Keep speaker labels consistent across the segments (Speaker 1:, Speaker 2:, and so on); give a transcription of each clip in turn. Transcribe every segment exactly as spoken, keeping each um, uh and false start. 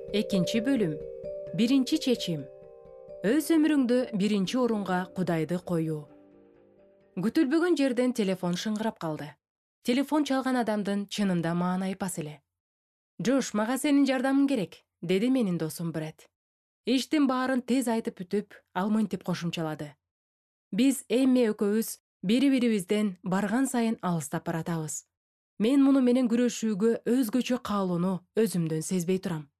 Speaker 1: Экинчи бөлүм. Биринчи чечим. Өз өмүрүңдө биринчи орунга Кудайды коюу. Күтүлбөгөн жерден телефон шыңгырап калды. Телефон чалган адамдын чынында маанайы пас эле. «Джош, мага сенин жардамың керек», — деди менин досум Бред. Иштин баарын тез айтып бүтүп, ал мынтип кошумчалады. Биз эми экөөбүз бири-бирибизден барган сайын алыстап баратабыз. Мен муну менен күрөшүүгө өзгөчө каалоону өзүмдөн сезбей турам.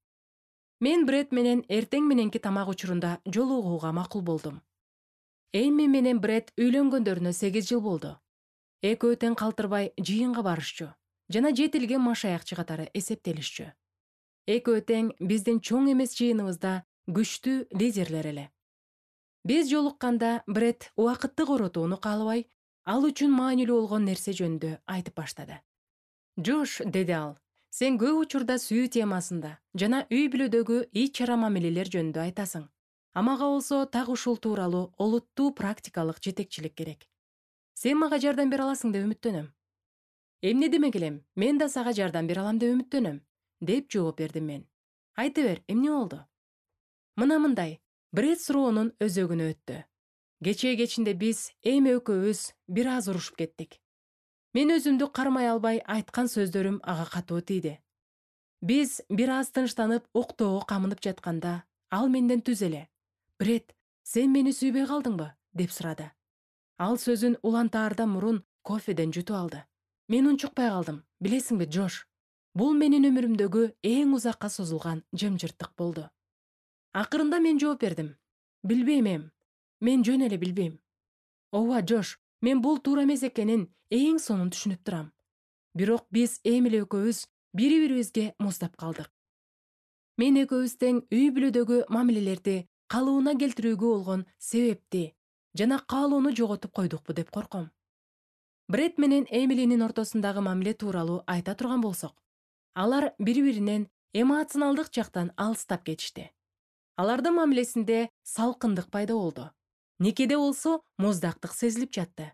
Speaker 1: Мен Бред менен эртең мененки тамак учурунда жолугууга макул болдум. Эми менен Бред үйлөнгөндөрүнө сегиз жыл болду. Экөө тең калтырбай жыйынга барышчу жана жетилген машаякчы катары эсептелишчү. Экөө тең биздин чоң эмес жыйыныбызда күчтүү лидерлер эле. Биз жолукканда Бред убакытты коротууну каалабай, ал үчүн маанилүү болгон нерсе жөнүндө айтып баштады. «Джош», — деди ал, — «сен көп учурда сүйүү темасында жана үй бүлөдөгү ич чара мамилелер жөнүндө айтасың. А мага болсо так ушул тууралуу олуттуу практикалык жетекчилик керек. Сен мага жардам бере аласың деп үмүттөнөм». «Эмне демек элем, мен да сага жардам бере алам деп үмүттөнөм», — деп жооп бердим мен. «Айта бер, эмне болду?» Мына мындай, Бред суроонун өзөгүнө өттү. Кечээ кечинде биз эми экөөбүз бир аз урушуп кеттик. Мен өзүмдү кармай албай айткан сөздөрүм ага катуу тийди. Биз бир аз тынчтанып уктоого камынып жатканда, ал менден түз эле: «Бред, сен мени сүйбөй калдыңбы?» деп сурады. Ал сөзүн улантаардан мурун кофеден жутуп алды. Мен унчукпай калдым. Билесиңби, Джош, бул менин өмүрүмдөгү эң узакка созулган жымжырттык болду. Акырында мен жооп бердим. «Билбейм эм. Мен жөн эле билбейм». «Ооба, Джош, мен бул туура эмес экенин эң сонун түшүнүп турам. Бирок биз эми эле экөөбүз бири-бирибизге муздап калдык. Мен экөөбүз тең үй бүлөдөгү мамилелерди калыбына келтирүүгө болгон себепти жана каалоону жоготуп койдукпу деп корком». Бред менен Эмилинин ортосундагы мамиле тууралуу айта турган болсок, алар бири-биринен эмоционалдык жактан алыстап кетишти. Алардын мамилесинде салкындык пайда болду. Никеде болсо муздактык сезилип жатты.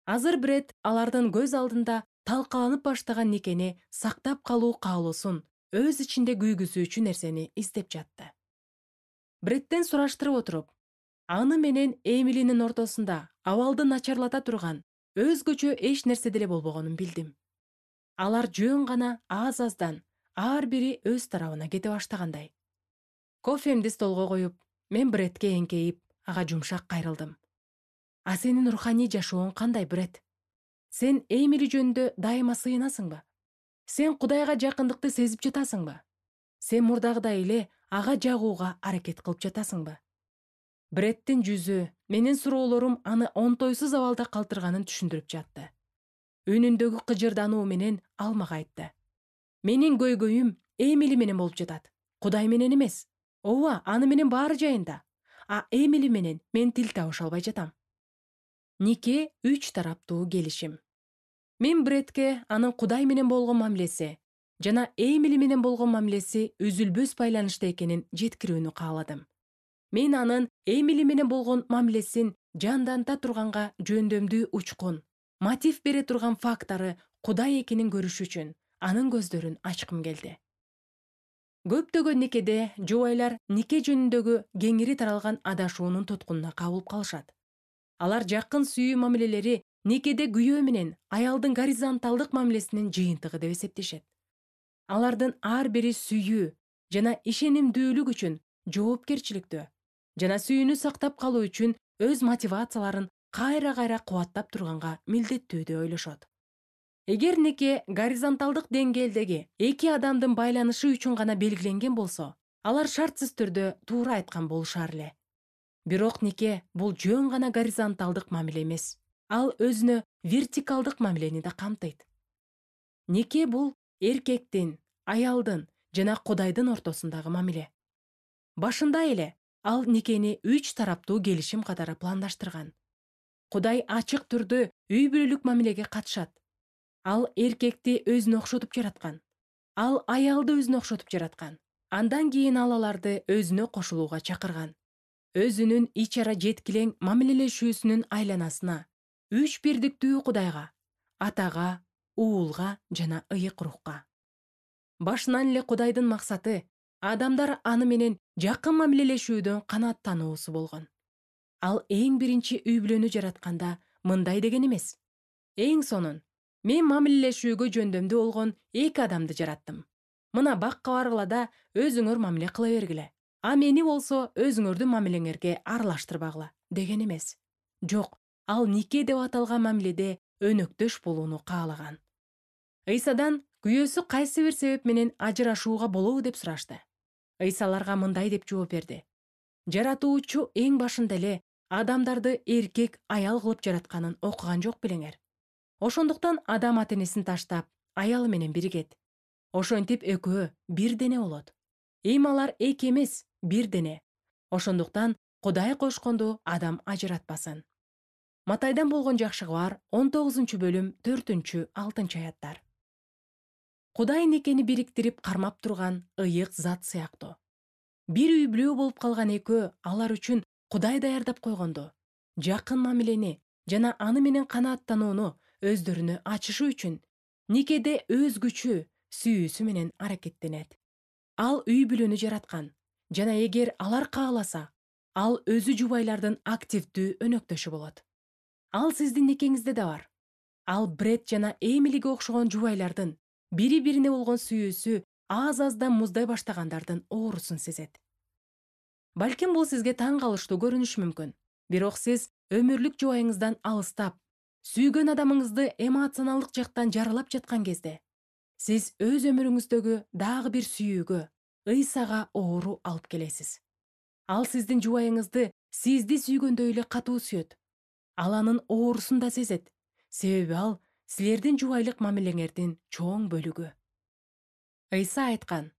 Speaker 1: Азыр Бред алардын көз алдында талкаланып баштаган никени сактап калуу каалоосун өз ичинде күйгүзүүчү нерсени издеп жатты. Бредден сураштырып отуруп, аны менен Эмилинин ортосунда абалды начарлата турган өзгөчө эч нерсе деле болбогонун билдим. Алар жөн гана аз-аздан ар бири өз тарабына кете баштагандай. Кофемди столго коюп, мен Бредке эңкейип, ага жумшак кайрылдым. «А сенин руханий жашооң кандай, Бред? Сен Эмили жөнүндө дайыма сыйынасыңбы? Сен Кудайга жакындыкты сезип жатасыңбы? Сен мурдагыдай эле ага жагууга аракет кылып жатасыңбы?» Бреддин жүзү, менин суроолорум аны онтойсуз абалда калтырганын түшүндүрүп жатты. Үнүндөгү кыжырдануу менен ал мага айтты: «Менин көйгөйүм Эмили менен болуп жатат. Кудай менен эмес. Ооба, аны менен баары жайында. А Эмили менен мен тил табыша албай жатам». Нике үч тараптуу келишим. Мен Бредке анын Кудай менен болгон мамилеси жана Эмили менен болгон мамилеси үзүлбөс байланышта экенин жеткирүүнү кааладым. Мен анын Эмили менен болгон мамилесин жанданта турганга жөндөмдүү учкун, мотив бере турган фактору Кудай экенин көрүш үчүн анын көздөрүн ачкым келди. Көптөгөн никеде жубайлар нике жөнүндөгү кеңири таралган адашуунун туткунуна кабылып калышат. Алар жакын сүйүү мамилелери никеде күйөө менен аялдын горизонталдык мамилесинин жыйынтыгы деп эсептешет. Алардын ар бири сүйүү жана ишенимдүүлүк үчүн жоопкерчиликтүү жана сүйүүнү сактап калуу үчүн өз мотивацияларын кайра-кайра кубаттап турганга милдеттүү деп ойлошот. Эгер нике горизонталдык деңгээлдеги эки адамдын байланышы үчүн гана белгиленген болсо, алар шартсыз түрдө туура айткан болушар эле. Бирок нике бул жөн гана горизонталдык мамиле эмес. Ал өзүнө вертикалдык мамилени да камтыйт. Нике бул эркектин, аялдын жана Кудайдын ортосундагы мамиле. Башында эле ал никени үч тараптуу келишим катары пландаштырган. Кудай ачык түрдө үй бүлөлүк мамилеге катышат. Ал эркекти өзүнө окшотуп жараткан. Ал аялды өзүнө окшотуп жараткан. Андан кийин ал аларды өзүнө кошулууга чакырган. Өзүнүн ич ара жеткилең мамилелешүүсүнүн айланасына үч бирдиктүү Кудайга, Атага, Уулга жана ыйык рухка. Башынан эле Кудайдын максаты Адамдар аны менен жакын мамилелешүүдөн канааттануусу болгон. Ал эң биринчи үй бүлөнү жаратканда мындай деген эмес. Эң сонун, мен мамилелешүүгө жөндөмдүү болгон эки адамды жараттым. Мына бакка баргыла да өзүңөр мамиле кыла бергиле. А мени болсо өзүңөрдүн мамилеңерге аралаштырбагыла деген эмес. Жок, ал нике деп аталган мамиледе өнөктөш болууну каалаган. Ыйсадан күйөөсү кайсы бир себеп менен ажырашууга болобу деп сурашты. Ыйса аларга мындай деп жооп берди. Жаратуучу эң башында эле адамдарды эркек аял кылып жаратканын окуган жок белеңер. Ошондуктан адам ата-энесин таштап, аялы менен биригет. Ошентип экөө бир дене болот. Эми алар эки эмес, бир дене. Ошондуктан Кудай кошконду адам ажыратпасын. Матайдан болгон жакшы кабар он тогузунчу бөлүм төртүнчү алтынчы аяттар. Кудай никени бириктирип кармап турган ыйык зат сыяктуу. Бир үй бүлө болуп калган экөө алар үчүн Кудай даярдап койгондо, жакын мамилени жана аны менен канааттанууну өздөрүнө ачышы үчүн никеде өз күчү, сүйүүсү менен аракеттенет. Ал үй бүлөнү жараткан жана эгер алар кааласа, ал өзү жубайлардын активдүү өнөктөшү болот. Ал сиздин никеңизде да бар. Ал Бред жана Эмилиге окшогон жубайлардын бири-бирине болгон сүйүүсү аз-аздан муздай баштагандардын оорусун сезет. Балким бул сизге таң калыштуу көрүнүшү мүмкүн. Бирок сиз өмүрлүк жубайыңыздан алыстап, сүйгөн адамыңызды эмоционалдык жактан жаралап жаткан кезде, сиз өз өмүрүңүздөгү дагы бир сүйүүгө, Ыйсага оору алып келесиз. Ал сиздин жубайыңызды сизди сүйгөндөй эле катуу сүйөт. Ал анын оорусун да сезет, себеби ал силердин жубайлык мамилеңердин чоң бөлүгү. Ыйса айткан,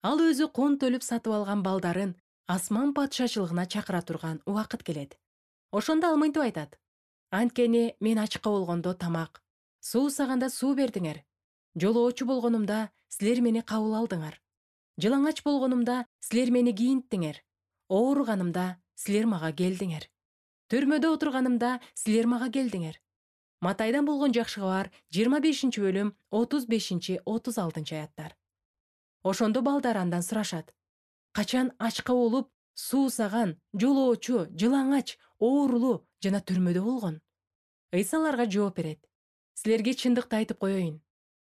Speaker 1: ал өзү кон төлөп сатып алган балдарын асман патшачылыгына чакыра турган убакыт келет. Ошондо ал мынтип айтат: анткени мен ачка болгондо тамак, суусаганда суу бердиңер, жолоочу болгонумда силер мени кабыл алдыңар, жылаңач болгонумда силер мени кийинттиңер, ооруганымда силер мага келдиңер, төрмөдө отурганымда силер мага келдиңер. Матайдан болгон жакшы кабар жыйырма бешинчи бөлүм отуз бешинчи отуз алтынчы аяттар. Ошондо балдар андан сурашат: качан ачка болуп, суусаган, жолоочу, жылаңач, оорулуу жана түрмөдө болгон? Ыйса аларга жооп берет: силерге чындыкты айтып коеюн,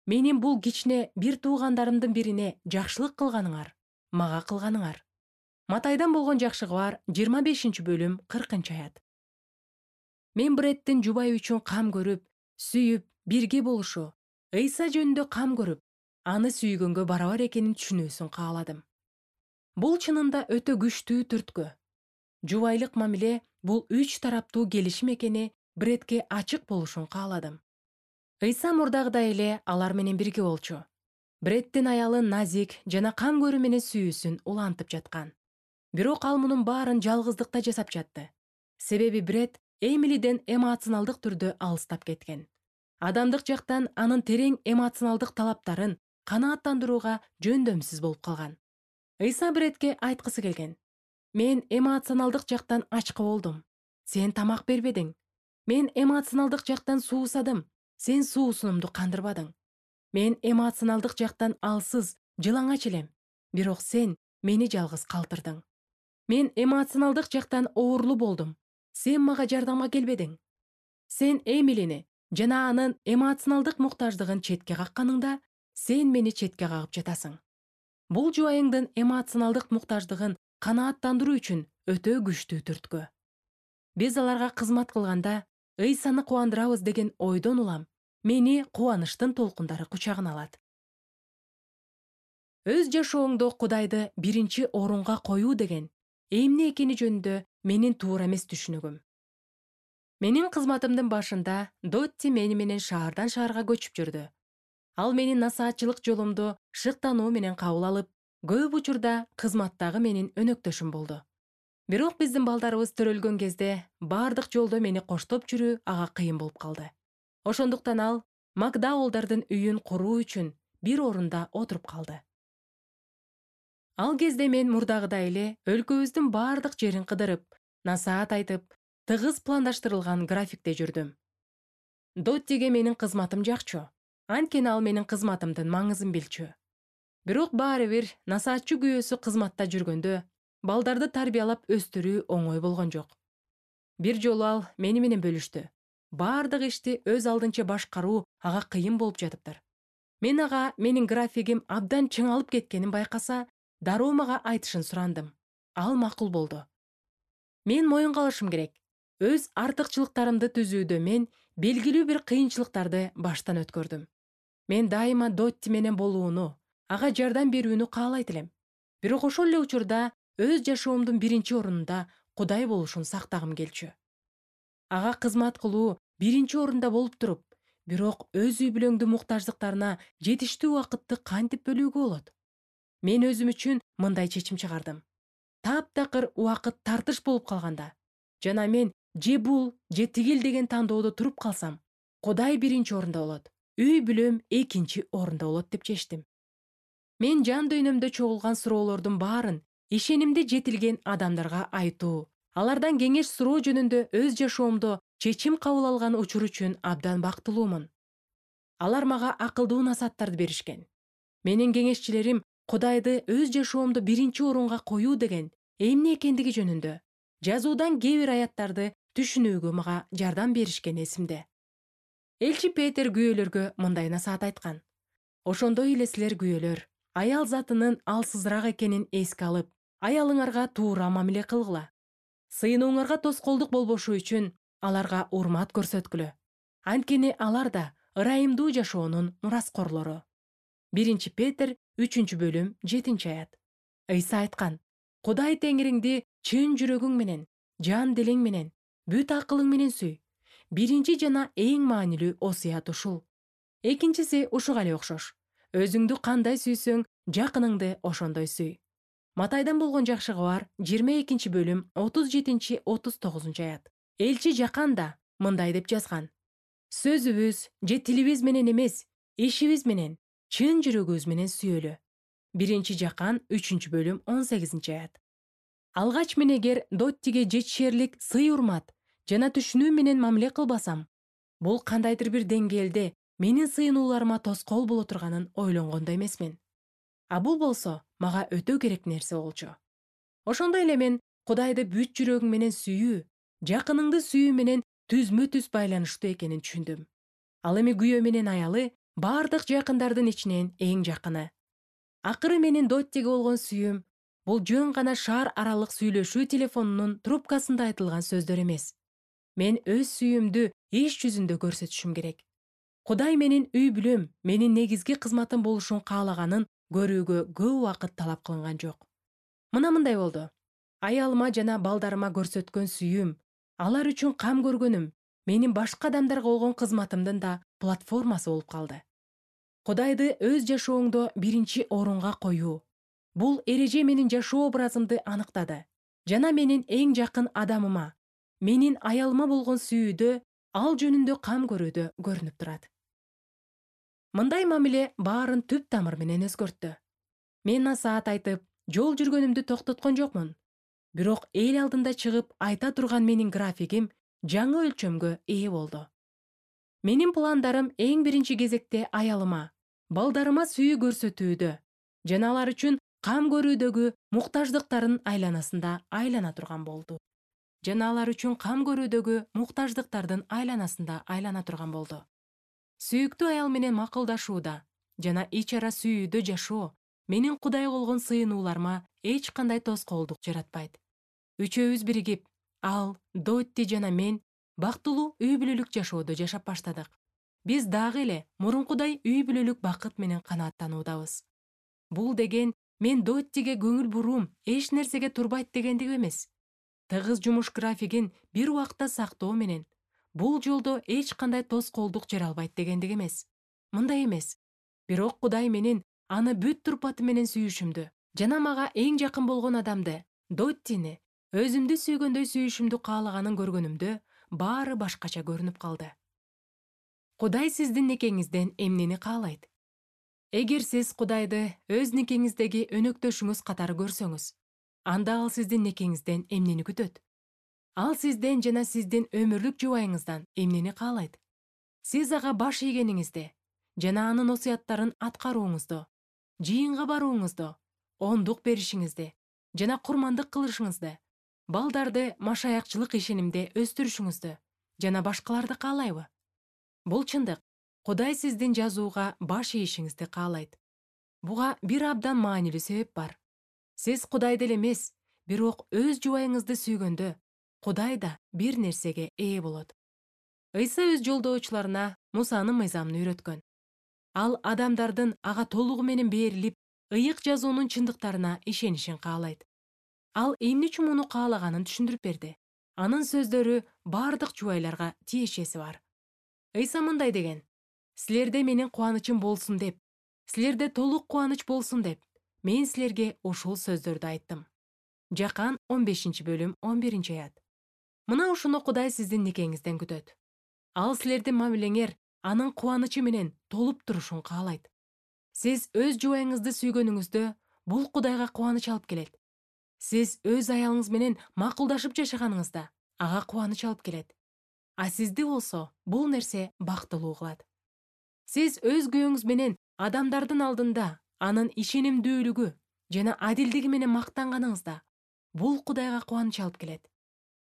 Speaker 1: менин бул кичине бир туугандарымдын бирине жакшылык кылганыңар, мага кылганыңар. Матайдан болгон жакшы кабар жыйырма бешинчи бөлүм кыркынчы аят. Мен Бреддин жубай үчүн кам көрүп, сүйүп, бирге болушу, Ыйса жөнүндө кам көрүп, аны сүйгөнгө барабар экенин түшүнүүсүн кааладым. Бул чынында өтө күчтүү түрткү. Жубайлык мамиле бул үч тараптуу келишим экени Бредке ачык болушун кааладым. Ыйса мурдагыдай эле алар менен бирге болчу. Бреддин аялы назик жана кам көрүү менен сүйүүсүн улантып жаткан. Бирок ал мунун баарын жалгыздыкта жасап жатты. Себеби Бред Эмилиден эмоционалдык түрдө алыстап кеткен. Адамдык жактан анын терең эмоционалдык талаптарын канааттандырууга жөндөмсүз болуп калган. Ыйса Бредке айткысы келген: мен эмоционалдык жактан ачка болдум, сен тамак бербедиң. Мен эмоционалдык жактан суусадым, сен суусунумду кандырбадың. Мен эмоционалдык жактан алсыз, жылаңач элем, бирок сен мени жалгыз калтырдың. Мен эмоционалдык жактан оорулуу болдум, сен мага жардамга келбедиң. Сен Эмилини жана анын эмоционалдык муктаждыгын четке какканыңда, сен мени четке кагып жатасың. Бул жубайыңдын эмоционалдык муктаждыгын канааттандыруу үчүн өтө күчтүү түрткү. Биз аларга кызмат кылганда Ыйсаны кубандырабыз деген ойдон улам мени кубанычтын толкундары кучагына алат. Өз жашооңдо Кудайды биринчи орунга коюу деген эмне экени жөнүндө менин туура эмес түшүнүгүм. Менин кызматымдын башында Дотти мени менен шаардан шаарга көчүп жүрдү. Ал менин насаатчылык жолумду шыктануу менен кабыл алып, көп учурда кызматтагы менин өнөктөшүм болду. Бирок биздин балдарыбыз төрөлгөн кезде бардык жолдо мени коштоп жүрүү ага кыйын болуп калды. Ошондуктан ал Макдаулдардын үйүн куруу үчүн бир орунда отуруп калды. Ал кезде мен мурдагыдай эле өлкөбүздүн бардык жерин кыдырып, насаат айтып, тыгыз пландаштырылган графикте жүрдүм. Доттиге менин кызматым жакчу, анткени ал менин кызматымдын маңызын билчү. Бирок баары бир насаатчы күйөөсү кызматта жүргөндө балдарды тарбиялап өстүрүү оңой болгон жок. Бир жолу ал мени менен бөлүштү. Баардык ишти өз алдынча башкаруу ага кыйын болуп жатыптыр. Мен ага менин графигим абдан чыңалып кеткенин байкаса, дароо мага айтышын сурандым. Ал макул болду. Мен моюнга алышым керек. Өз артыкчылыктарымды түзүүдө мен белгилүү бир кыйынчылыктарды баштан өткөрдүм. Мен дайыма Дотти менен болууну, ага жардам берүүнү каалайт элем. Бирок ошол эле учурда өз жашоомдун биринчи орунда Кудай болушун сактагым келчү. Ага кызмат кылуу биринчи орунда болуп туруп, бирок өз үй бүлөңдүн муктаждыктарына жетиштүү убакытты кантип бөлүүгө болот? Мен өзүм үчүн мындай чечим чыгардым. Таптакыр убакыт тартыш болуп калганда жана мен же бул же тигил деген тандоодо туруп калсам, Кудай биринчи орунда болот, үй бүлөм экинчи орунда болот деп чечтим. Мен жан дүйнөмдө чогулган суроолордун баарын ишенимди жетилген адамдарга айтуу, алардан кеңеш суроо жөнүндө өз жашоомдо чечим кабыл алган учур үчүн абдан бактылуумун. Алар мага акылдуу насааттарды беришкен. Менин кеңешчилерим Кудайды өз жашоомдо биринчи орунга коюу деген эмне экендиги жөнүндө жазуудан кээ бир аяттарды түшүнүүгө мага жардам беришкен эсимде. Элчи Петер күйөөлөргө мындай насаат айткан. Ошондой эле силер күйөөлөр, аял затынын алсызыраак экенин эске алып, аялыңарга туура мамиле кылгыла. Сыйынууңарга тоскоолдук болбошу үчүн аларга урмат көрсөткүлө. Анткени алар да ырайымдуу жашоонун мураскорлору. биринчи Петер үчүнчү бөлүм жетинчи аят. Ыйса айткан: Кудай Теңириңди чын жүрөгүң менен, жан делең менен, бүт акылың менен сүй. Биринчи жана эң маанилүү осуят ушул. Экинчиси ушуга эле окшош. Өзүңдү кандай сүйсөң, жакыныңды ошондой сүй. Матайдан болгон жакшы кабар жыйырма экинчи бөлүм отуз жетинчи отуз тогузунчу аят. Элчи Жакан да мындай деп жазган: Сөзүбүз же тилибиз менен эмес, ишибиз менен, чын жүрөгүбүз менен сүйөлү. биринчи Жакан үчүнчү бөлүм он сегизинчи аят. Алгач мен эгер Доттиге жетишерлик сый-урмат жана түшүнүү менен мамиле кылбасам, бул кандайдыр бир деңгээлде менин сыйынууларыма тоскоол боло турганын ойлонгондо эмесмин. А бул болсо мага өтө керек нерсе болчу. Ошондой эле мен Кудайды бүт жүрөгүң менен сүйүү, жакыныңды сүйүү менен түзмө-түз байланыштуу экенин түшүндүм. Ал эми күйөө менен аялы бардык жакындардын ичинен эң жакыны. Акыры менин Доттиге болгон сүйүүм бул жөн гана шаар аралык сүйлөшүү телефонунун трубкасында айтылган сөздөр эмес. Мен өз сүйүүмдү иш жүзүндө көрсөтүшүм керек. Кудай менин үй бүлөм, менин негизги кызматым болушун каалаганын көрүүгө көп убакыт талап кылынган жок. Мына мындай болду. Аялыма жана балдарыма көрсөткөн сүйүүм, алар үчүн кам көргөнүм менин башка адамдарга болгон кызматымдын да платформасы болуп калды. Кудайды өз жашооңдо биринчи орунга коюу. Бул эреже менин жашоо образымды аныктады жана менин эң жакын адамыма, менин аялыма болгон сүйүүдө, ал жөнүндө кам көрүүдө көрүнүп турат. Мындай мамиле баарын түп тамыр менен өзгөрттү. Мен насаат айтып, жол жүргөнүмдү токтоткон жокмун. Бирок эл алдында чыгып айта турган менин графигим жаңы өлчөмгө ээ болду. Менин пландарым эң биринчи кезекте аялыма, балдарыма сүйүү көрсөтүүдө жана алар үчүн кам көрүүдөгү муктаждыктарын айланасында айлана турган болду. Жана алар үчүн кам көрүүдөгү муктаждыктардын айланасында айлана турган болду. Сүйүктүү аял менен макулдашууда жана ич ара сүйүүдө жашоо менин Кудайга болгон сыйынууларыма эч кандай тоскоолдук жаратпайт. Үчөөбүз биригип, ал, Дотти жана мен бактылуу үй бүлөлүк жашоодо жашап баштадык. Биз дагы эле мурункудай үй бүлөлүк бакыт менен канааттануудабыз. Бул деген мен Доттиге көңүл буруум эч нерсеге турбайт дегендик эмес. Тыгыз жумуш графигин бир убакта сактоо менен бул жолдо эч кандай тоскоолдук жаралбайт дегендик эмес. Мындай эмес. Бирок Кудай менин аны бүт турпаты менен сүйүшүмдү жана мага эң жакын болгон адамды, Доттини, өзүмдү сүйгөндөй сүйүшүмдү каалаганын көргөнүмдө баары башкача көрүнүп калды. Кудай сиздин никеңизден эмнени каалайт? Эгер сиз Кудайды өз никеңиздеги өнөктөшүңүз катары көрсөңүз, анда ал сиздин никеңизден эмнени күтөт? Ал сизден жана сиздин өмүрлүк жубайыңыздан эмнени каалайт? Сиз ага баш ийгениңизди жана анын осуяттарын аткарууңузду жыйынга барууңузду, ондук беришиңизди жана курмандык кылышыңызды, балдарды машаякчылык ишенимде өстүрүшүңүздү жана башкаларды каалайбы? Бул чындык. Кудай сиздин жазууга баш ийишиңизди каалайт. Буга бир абдан маанилүү себеп бар. Сиз Кудайды эле эмес, бирок өз жубайыңызды сүйгөндө, Кудай да бир нерсеге ээ болот. Ыйса өз жолдоочуларына Мусанын мыйзамын үйрөткөн. Ал адамдардын ага толугу менен берилип, ыйык жазуунун чындыктарына ишенишин каалайт. Ал эмне үчүн муну каалаганын түшүндүрүп берди. Анын сөздөрү бардык жубайларга тиешеси бар. Ыйса мындай деген: «Силерде менин кубанычым болсун деп, силерде толук кубаныч болсун деп, мен силерге ушул сөздөрдү айттым». Жакан он бешинчи бөлүм он биринчи аят. Мына ушуну Кудай сиздин никеңизден күтөт. Ал силердин мамилеңер анын кубанычы менен толуп турушун каалайт. Сиз өз жубайыңызды сүйгөнүңүздө бул Кудайга кубаныч алып келет. Сиз өз аялыңыз менен макулдашып жашаганыңызда ага кубаныч алып келет. А сизди болсо бул нерсе бактылуу кылат. Сиз өз күйөөңүз менен адамдардын алдында анын ишенимдүүлүгү жана адилдиги менен мактанганыңызда бул Кудайга кубаныч алып келет.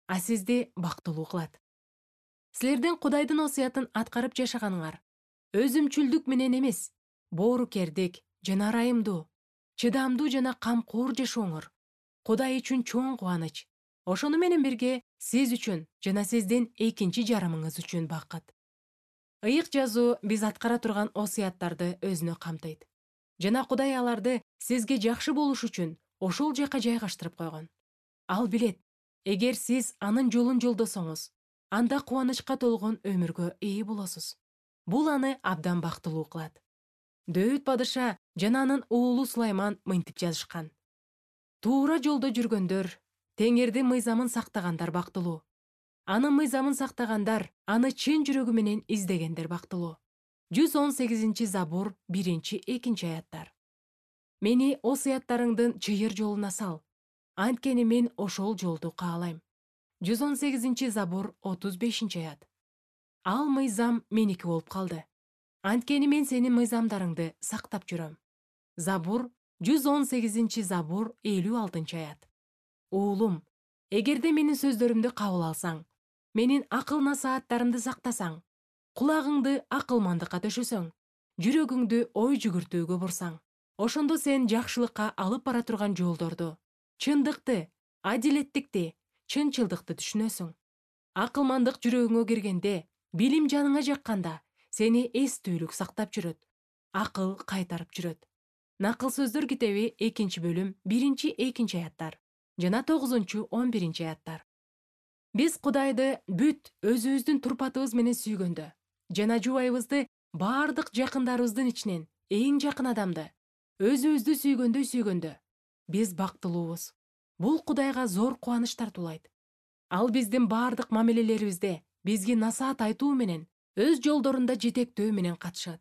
Speaker 1: А сизди бактылуу кылат. Силердин Кудайдын осуятын аткарып жашаганыңар өзүмчүлдүк менен эмес, боорукердик жана ырайымдуу, чыдамдуу жана камкор жашооңор Кудай үчүн чоң кубаныч. Ошону менен бирге сиз үчүн жана сиздин экинчи жарымыңыз үчүн бакыт. Ыйык жазуу биз аткара турган осуяттарды өзүнө камтыйт. Жана Кудай аларды сизге жакшы болуш үчүн ошол жака жайгаштырып койгон. Ал билет, эгер сиз анын жолун жолдосоңуз, анда кубанычка толгон өмүргө ээ болосуз. Бул аны абдан бактылуу кылат. Дөүт падыша жана анын уулу Сулайман мынтип жазышкан: «Туура жолдо жүргөндөр, Теңирдин мыйзамын сактагандар бактылуу. Анын мыйзамын сактагандар, аны чын жүрөгү менен издегендер бактылуу». жүз он сегизинчи Забур биринчи экинчи аяттар. Мени осуяттарыңдын чыйыр жолуна сал, анткени мен ошол жолду каалайм. жүз он сегизинчи Забур отуз бешинчи аят. Ал мыйзам меники болуп калды. Анткени мен сенин мыйзамдарыңды сактап жүрөм. Забур жүз он сегизинчи Забур элүү алтынчы аят. Уулум, эгерде менин сөздөрүмдү кабыл алсаң, менин акыл насааттарымды сактасаң, кулагыңды акылмандыкка төшөсөң, жүрөгүңдү ой жүгүртүүгө бурсаң, ошондо сен жакшылыкка алып бара турган жолдорду, чындыкты, адилеттикти, чынчылдыкты түшүнөсүң. Акылмандык жүрөгүңө киргенде, билим жаныңа жакканда, сени эстүүлүк сактап жүрөт, акыл кайтарып жүрөт. Накыл сөздөр китеби экинчи бөлүм биринчи экинчи аяттар жана тогузунчу он биринчи аяттар. Биз Кудайды бүт өзүбүздүн турпатыбыз менен сүйгөндө жана жубайыбызды бардык жакындарыбыздын ичинен эң жакын адамды өзүбүздү сүйгөндөй сүйгөндө биз бактылуубуз. Бул Кудайга зор кубаныч тартуулайт. Ал биздин бардык мамилелерибизде бизге насаат айтуу менен, өз жолдорунда жетектөө менен катышат.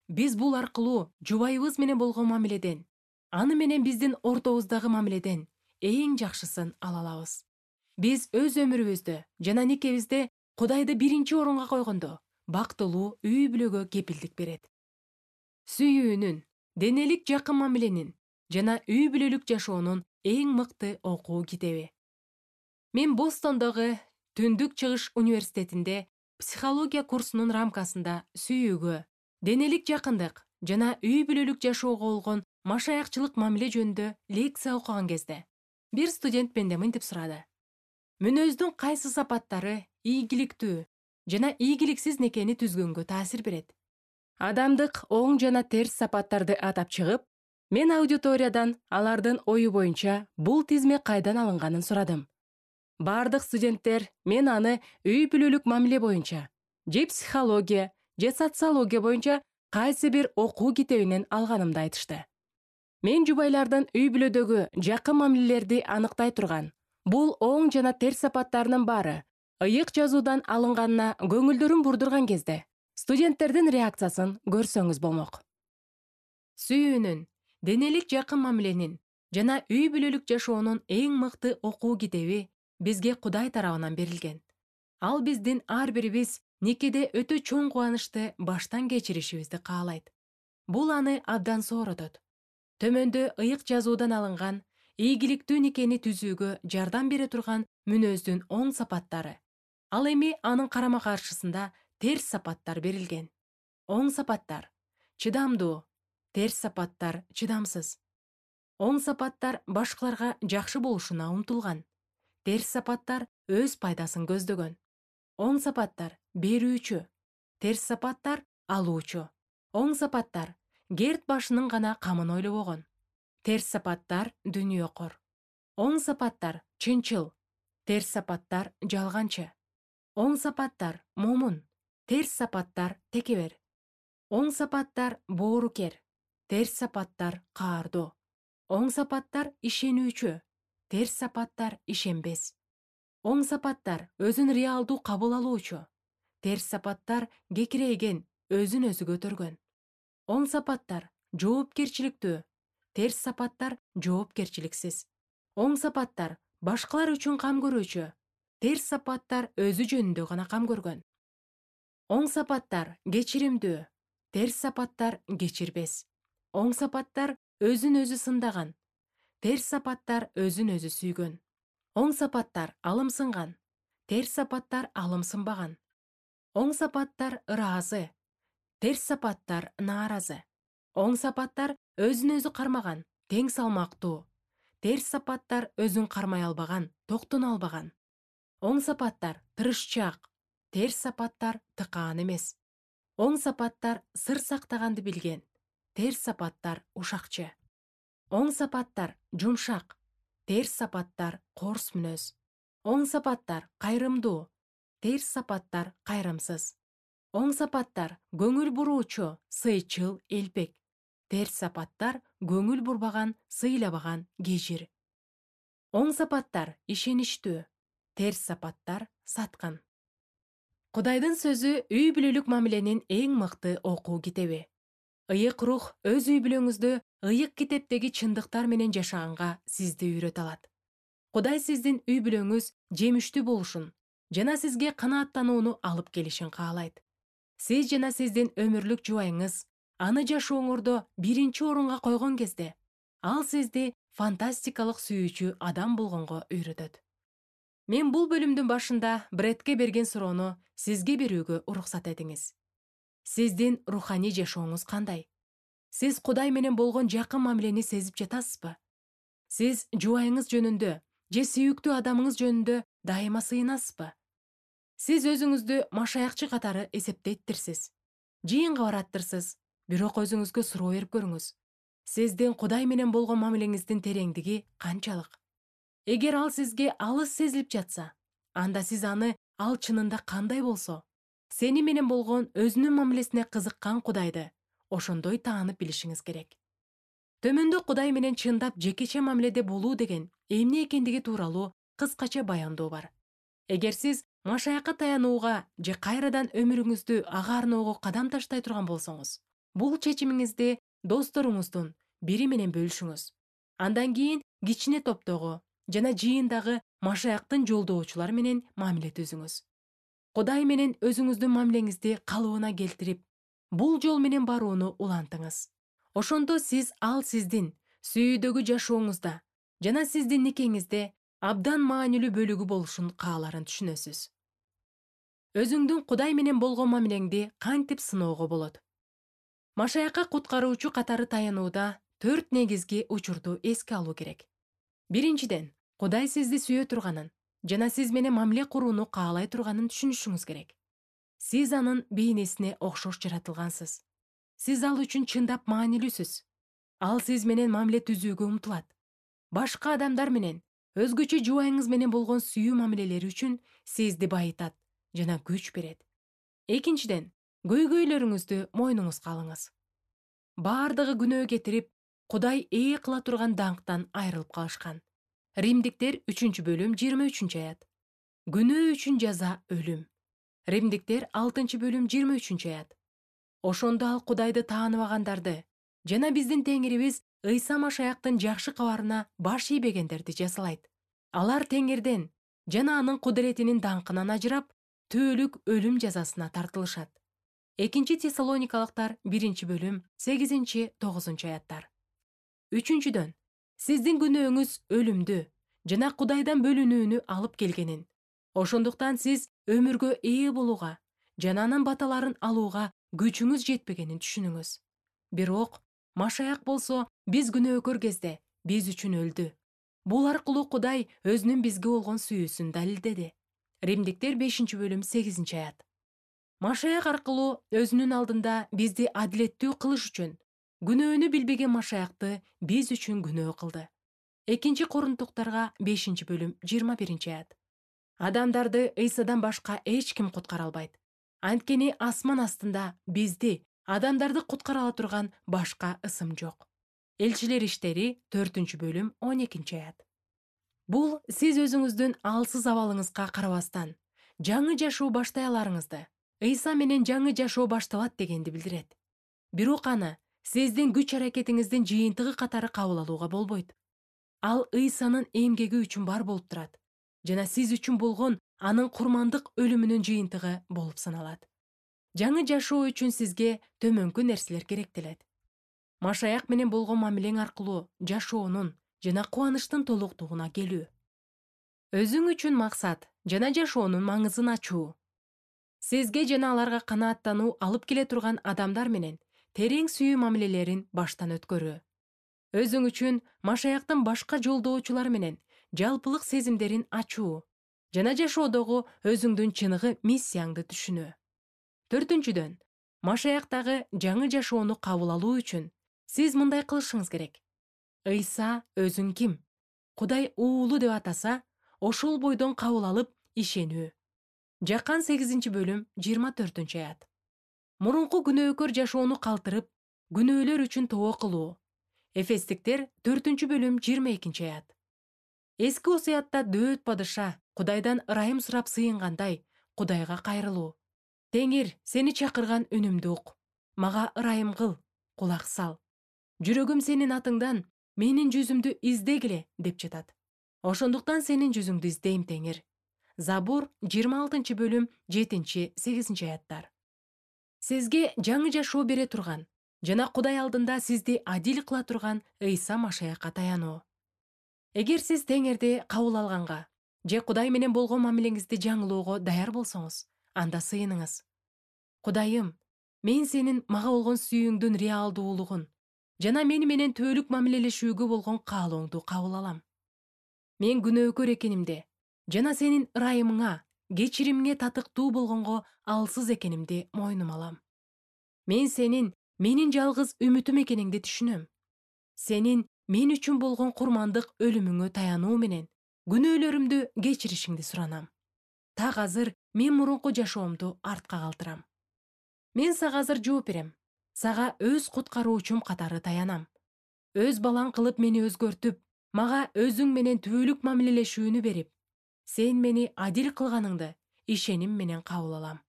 Speaker 1: Биз бул аркылуу жубайыбыз менен болгон мамиледен, аны менен биздин ортобуздагы мамиледен эң жакшысын ала алабыз. Биз өз өмүрүбүздө жана никебизде Кудайды биринчи орунга койгондо бактылуу үй бүлөгө кепилдик берет. Сүйүүнүн, денелик жакын мамиленин жана үй бүлөлүк жашоонун эң мыкты окуу китеби. Мен Бостондогу Түндүк Чыгыш университетинде психология курсунун рамкасында сүйүүгө, денелик жакындык жана үй бүлөлүк жашоого болгон машаякчылык мамиле жөнүндө лекция окуган кезде бир студент менден мынтип сурады: мүнөздүн кайсы сапаттары ийгиликтүү жана ийгиликсиз некени түзгөнгө таасир берет? Адамдык оң жана терс сапаттарды атап чыгып, мен аудиториядан алардын ою боюнча бул тизме кайдан алынганын сурадым. Бардык студенттер мен аны үй бүлөлүк мамиле боюнча, же психология, же социология боюнча кайсы бир окуу китебинен алганымды айтышты. Мен жубайлардын үй бүлөдөгү жакын мамилелерди аныктай турган бул оң жана терс сапаттарынын баары ыйык жазуудан алынганына көңүлдөрүн бурдурган кезде студенттердин реакциясын көрсөңүз болмок. Сүйүүнүн, денелик жакын мамиленин жана үй бүлөлүк жашоонун эң мыкты окуу китеби бизге Кудай тарабынан берилген. Ал биздин ар бирибиз никеде өтө чоң кубанычты баштан кечиришибизди каалайт. Бул аны абдан сооротот. Төмөндө ыйык жазуудан алынган ийгиликтүү никени түзүүгө жардам бере турган мүнөздүн оң сапаттары. Ал эми анын карама каршысында терс сапаттар берилген. Оң сапаттар: чыдамдуу, терс сапаттар: чыдамсыз. Оң сапаттар башкаларга жакшы болушуна умтулган. Терс сапаттар өз пайдасын көздөгөн. Оң сапаттар: берүүчү, терс сапаттар: алуучу. Оң сапаттар: керт башынын гана камын ойлобогон. Терс сапаттар: дүнүйөкор. Оң сапаттар: чынчыл, терс сапаттар: жалганчы. Оң сапаттар: момун, терс сапаттар: текебер. Оң сапаттар: боорукер, терс сапаттар: каардоо. Оң сапаттар: ишенүүчү, терс сапаттар: ишенбес. Оң сапаттар: өзүн реалдуу кабыл алуучу, терс сапаттар: кекирейген, өзүн өзү көтөргөн. Оң сапаттар: жоопкерчиликтүү, терс сапаттар: жоопкерчиликсиз. Оң сапаттар: башкалар үчүн кам көрүүчү, терс сапаттар: өзү жөнүндө гана кам көргөн. Оң сапаттар: кечиримдүү, терс сапаттар: кечирбес. Оң сапаттар: өзүн өзү сындаган, терс сапаттар: өзүн өзү сүйгөн. Оң сапаттар: алымсынган, терс сапаттар: алымсынбаган. Оң сапаттар: ыраазы, терс сапаттар: нааразы. Оң сапаттар: өзүн өзү кармаган, тең салмактуу, терс сапаттар: өзүн кармай албаган, токтоно албаган. Оң сапаттар: тырышчаак, терс сапаттар: тыкаан эмес. Оң сапаттар: сыр сактаганды билген, терс сапаттар: ушакчы. Оң сапаттар: жумшак, терс сапаттар: коорс мүнөз. Оң сапаттар: кайрымдуу, терс сапаттар: кайрымсыз. Оң сапаттар: көңүл буруучу, сыйчыл, элпек, терс сапаттар: көңүл бурбаган, сыйлабаган, кежир. Оң сапаттар: ишеничтүү, терс сапаттар: саткан. Кудайдын сөзү үй бүлөлүк мамиленин эң мыкты окуу китеби. Ыйык рух өз үй бүлөңүздө ыйык китептеги чындыктар менен жашаганга сизди үйрөтө алат. Кудай сиздин үй бүлөңүз жемиштүү болушун жана сизге канааттанууну алып келишин каалайт. Сиз жана сиздин өмүрлүк жубайыңыз аны жашооңордо биринчи орунга койгон кезде, ал сизди фантастикалык сүйүүчү адам болгонго үйрөтөт. Мен бул бөлүмдүн башында Брэдке берген суроону сизге берүүгө уруксат этиңиз. Сиздин руханий жашооңуз кандай? Сиз Кудай менен болгон жакын мамилени сезип жатасызбы? Сиз жубайыңыз жөнүндө же сүйүктүү адамыңыз жөнүндө дайыма сыйынасызбы? Сиз өзүңүздү машаякчы катары эсептейттирсиз. Жыйынга бараттырсыз, бирок өзүңүзгө суроо берип көрүңүз. Сиздин Кудай менен болгон мамилеңиздин тереңдиги канчалык? Эгер ал сизге алыс сезилип жатса, анда сиз аны ал чынында кандай болсо, сени менен болгон өзүнүн мамилесине кызыккан Кудайды ошондой таанып билишиңиз керек. Төмөндө Кудай менен чындап жекече мамиледе болуу деген эмне экендиги тууралуу кыскача баяндоо бар. Эгер сиз машаякка таянууга же кайрадан өмүрүңүздү ага арноого кадам таштай турган болсоңуз, бул чечимиңизди досторуңуздун бири менен бөлүшүңүз. Андан кийин кичине топтогу жана жыйындагы машаяктын жолдоочулар менен мамиле түзүңүз. Кудай менен өзүңүздүн мамилеңизди калыбына келтирип, бул жол менен барууну улантыңыз. Ошондо сиз ал сиздин сүйүүдөгү жашооңузда жана сиздин никеңизде абдан маанилүү бөлүгү болушун кааларын түшүнөсүз. Өзүңдүн Кудай менен болгон мамилеңди кантип сыноого болот? Машаякка куткаруучу катары таянууда төрт негизги учурду эске алуу керек. Биринчиден, Кудай сизди сүйө турганын жана сиз менен мамиле курууну каалай турганын түшүнүшүңүз керек. Сиз анын бейнесине окшош жаратылгансыз. Сиз ал үчүн чындап маанилүүсүз. Ал сиз менен мамиле түзүүгө умтулат. Башка адамдар менен, өзгөчө жубайыңыз менен болгон сүйүү мамилелери үчүн сизди байытат жана күч берет. Экинчиден, көйгөйлөрүңүздү мойнуңузга алыңыз. Баардыгы күнөө кетирип, Кудай ээ кыла турган даңктан айрылып калышкан. Римдиктер үчүнчү бөлүм жыйырма үчүнчү аят. Күнөө үчүн жаза өлүм. Римдиктер алтынчы бөлүм жыйырма үчүнчү аят. Ошондо ал Кудайды тааныбагандарды жана биздин Теңирибиз Ыйса Машаяктын жакшы кабарына баш ийбегендерди жазалайт. Алар Теңирден жана анын кудуретинин даңкынан ажырап, түбөлүк өлүм жазасына тартылышат. Экинчи Тессалоникалыктар биринчи бөлүм сегизинчи тогузунчу аяттар. Үчүнчүдөн, сиздин күнөөңүз өлүмдү жана Кудайдан бөлүнүүнү алып келгенин, ошондуктан сиз өмүргө ээ болууга жана анын баталарын алууга күчүңүз жетпегенин түшүнүңүз. Бирок Машаяк болсо биз күнөөкөр кезде биз үчүн өлдү. Бул аркылуу Кудай өзүнүн бизге болгон сүйүүсүн далилдеди. Римдиктер бешинчи бөлүм сегизинчи аят. Машаяк аркылуу өзүнүн алдында бизди адилеттүү кылыш үчүн күнөөнү билбеген Машаякты биз үчүн күнөө кылды. Экинчи Корунтуктарга бешинчи бөлүм жыйырма биринчи аят. Адамдарды Ыйсадан башка эч ким куткара албайт. Анткени асман астында бизди, адамдарды куткара ала турган башка ысым жок. Элчилер иштери төртүнчү бөлүм он экинчи аят. Бул сиз өзүңүздүн алсыз абалыңызга карабастан жаңы жашоо баштай аларыңызды, Ыйса менен жаңы жашоо башталат дегенди билдирет. Бирок аны сиздин күч-аракетиңиздин жыйынтыгы катары кабыл алууга болбойт. Ал Ыйсанын эмгеги үчүн бар болуп турат жана сиз үчүн болгон анын курмандык өлүмүнүн жыйынтыгы болуп саналат. Жаңы жашоо үчүн сизге төмөнкү нерселер керектелет. Машаяк менен болгон мамилең аркылуу жашоонун жана кубанычтын толуктугуна келүү. Өзүң үчүн максат жана жашоонун маңызын ачуу. Сизге жана аларга канааттануу алып келе турган адамдар менен терең сүйүү мамилелерин баштан өткөрүү. Өзүң үчүн Машаяктын башка жолдоочулар менен жалпылык сезимдерин ачуу жана жашоодогу өзүңдүн чыныгы миссияңды түшүнүү. Төртүнчүдөн, Машаяктагы жаңы жашоону кабыл алуу үчүн сиз мындай кылышыңыз керек. Ыйса өзүн ким? Кудай уулу деп атаса, ошол бойдон кабыл алып ишенүү. Жакан сегизинчи бөлүм жыйырма төртүнчү аят. Мурунку күнөөкөр жашоону калтырып, күнөөлөр үчүн тоо кылуу. Эфестиктер төртүнчү бөлүм жыйырма экинчи аят. Эски осуятта дөөт падыша Кудайдан ырайым сурап сыйынгандай Кудайга кайрылуу. Теңир, сени чакырган үнүмдү ук. Мага ырайым кыл, кулак сал. Жүрөгүм сенин атыңдан менин жүзүмдү издегиле деп жатат. Ошондуктан сенин жүзүңдү издейм, Теңир. Забур жыйырма алтынчы бөлүм жетинчи сегизинчи аяттар. Сизге жаңы жашоо бере турган жана Кудай алдында сизди адил кыла турган Ыйса Машаякка таянуу. Эгер сиз Теңирди кабыл алганга же Кудай менен болгон мамилеңизди жаңылоого даяр болсоңуз, анда сыйыныңыз. Кудайым, мен сенин мага болгон сүйүүңдүн реалдуулугун жана мени менен түбөлүк мамилелешүүгө болгон каалооңду кабыл алам. Мен күнөөкөр экенимди жана сенин ырайымыңа, кечиримиңе татыктуу болгонго алсыз экенимди мойнума алам. Мен сенин менин жалгыз үмүтүм экениңди түшүнөм. Сенин мен үчүн болгон курмандык өлүмүңө таянуу менен күнөөлөрүмдү кечиришиңди суранам. Так азыр мен мурунку жашоомду артка калтырам. Мен сага азыр жооп берем. Сага өз куткаруучум катары таянам. Өз балаң кылып мени өзгөртүп, мага өзүң менен түбөлүк мамилелешүүнү берип, сен мени адил кылганыңды ишеним менен кабыл алам.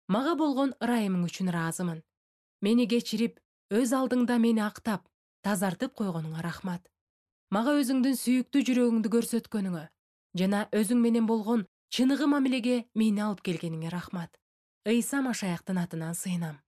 Speaker 1: Мага болгон ырайымың үчүн ыраазымын. Мени кечирип, өз алдыңда мени актап, тазартып койгонуңа рахмат. Мага өзүңдүн сүйүктүү жүрөгүңдү көрсөткөнүңө жана өзүң менен болгон чыныгы мамилеге мени алып келгениңе рахмат. Ыйса Машаяктын атынан сыйынам.